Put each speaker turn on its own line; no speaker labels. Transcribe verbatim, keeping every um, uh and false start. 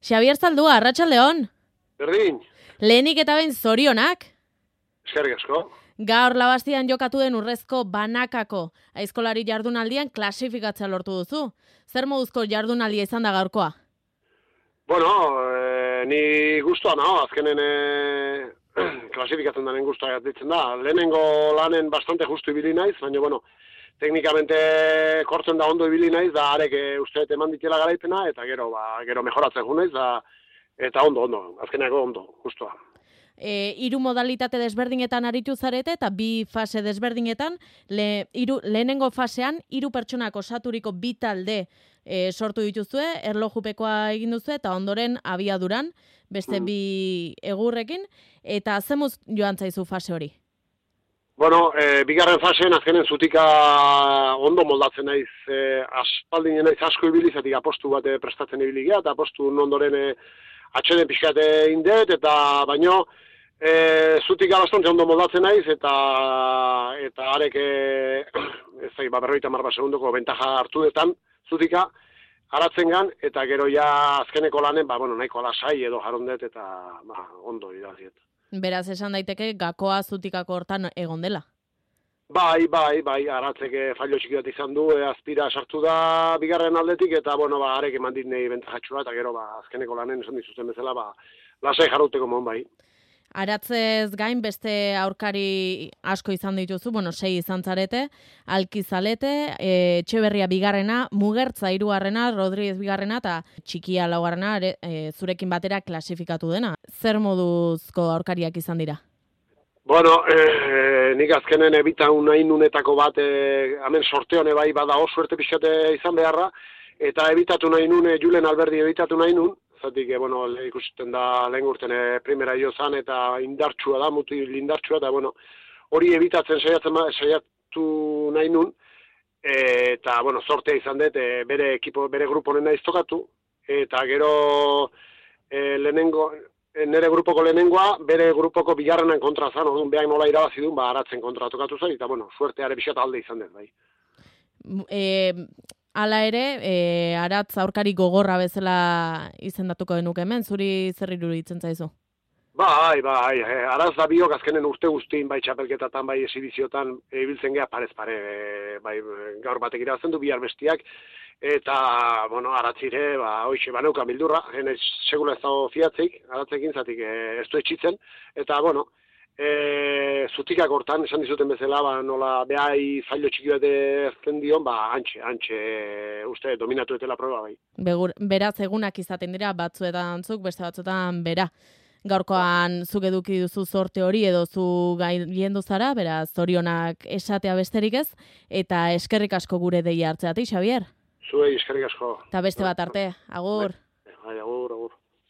Xabier Zaldua, arratsaldeon.
Berdin.
Lehenik eta behin zorionak.
Eskerrik asko.
Gaur Labastian jokatu den urrezko banakako aizkolari jardunaldian klasifikatzea lortu duzu. Zer moduzko jardunaldia izan da gaurkoa?
Bueno, eh, ni guztua naho, azkenen eh, klasifikatzen daren guztua ditzen da. Lehenengo lanen bastante justu ibili naiz, baina bueno, teknikamente kortzen da ondo ibili naiz, da arek uste eman ditela garaipena, eta gero, ba, gero mejoratzen ju naiz, da, eta ondo, ondo, azkeneko ondo, guztua.
E, hiru modalitate desberdinetan aritu zarete eta bi fase desberdinetan, le, iru, lehenengo fasean hiru pertsonak osaturiko bi talde e, sortu dituzue, erlojupekoa egin duzu eta ondoren abiaduran, beste mm. bi egurrekin, eta zemuz joan zaizu fase hori?
Bueno, e, bigarren fasean azkenen zutika ondo moldatzen naiz, e, aspaldinen naiz asko ibili, zatik apostu bat prestatzen ibili gea, eta apostu ondoren e, atxeden pixkate indet, eta baino e, zutika bastante ondo moldatzen naiz, eta eta arek e, ez zai, ba, berroita marba segundoko bentaja hartu detan zutika, haratzen gan, eta gero ja azkeneko lanen, ba, bueno, nahiko alasai edo jarondet, eta ba, ondo idaziet.
Beraz, esan daiteke gakoa zutikako hortan egon dela.
Bai, bai, bai, aratzeke fallo txiki bat izan du, e, azpira sartu da bigarren aldetik, eta, bueno, ba, arek eman dit nahi bentajatxua, eta gero, ba, azkeneko lanen esan dizuten bezala, ba, lasai jarrauteko mon, bai.
Aratzez gain beste aurkari asko izan dituzu, bueno, sei izan zarete, Alkizalete, e, Etxeberria bigarrena, Mugertza hirugarrena, Rodríguez bigarrena, eta Txikia laugarrena, e, zurekin batera klasifikatu dena. Zer moduzko aurkariak izan dira?
Bueno, eh, nik azkenen ebitan nahi nunetako bat, eh, hemen sorteone bai bada oso suerte pixkate izan beharra, eta ebitatu nahi nun, Julen Alberdi ebitatu nahi nun, zatik, eh, bueno, ikusten da lehen urten eh, primera jo zan, eta indartsua da, mutil indartsua, eta bueno, hori ebitatzen saiatzen saiatu nahi nun, eh, eta, bueno, sortea izan dut, eh, bere ekipo, bere grupo nena iztokatu, eta gero eh, lehenengo, nere grupoko lehenengoa, bere grupoko bigarrenan kontra zan, orduan behar nola irabazi duen, ba, aratzen kontra tokatu zen, eta, bueno, suerteare pixat alde izan dut, bai.
E, ala ere, e, aratz aurkari gogorra bezala izendatuko genuke hemen, zuri zer iruditzen zaizu?
Bai, bai, e, aratz da biok azkenen urte guztin, bai txapelketatan, bai esibiziotan, ibiltzen geha parez pare, e, bai gaur batek irabazten du, bihar bestiak, eta, bueno, aratzire, ba, hoxe, baneuka bildurra, henez, segula ez dago fiatzeik, aratzekin zatik e, ez du etxitzen, eta, bueno, e, zutikak hortan, esan dizuten bezala, ba, nola behai zailo txiki bat ezten dion, ba, antxe, antxe, uste, dominatu etela proba, bai.
Begur, beraz, egunak izaten dira, batzuetan zuk, beste batzuetan bera. Gaurkoan zuk eduki duzu sorte hori edo zu gaien zara, beraz, zorionak esatea besterik ez, eta eskerrik asko gure deia hartzeatik, Xabier.
Zuei, eskerrik asko.
Eta beste bat arte, agur.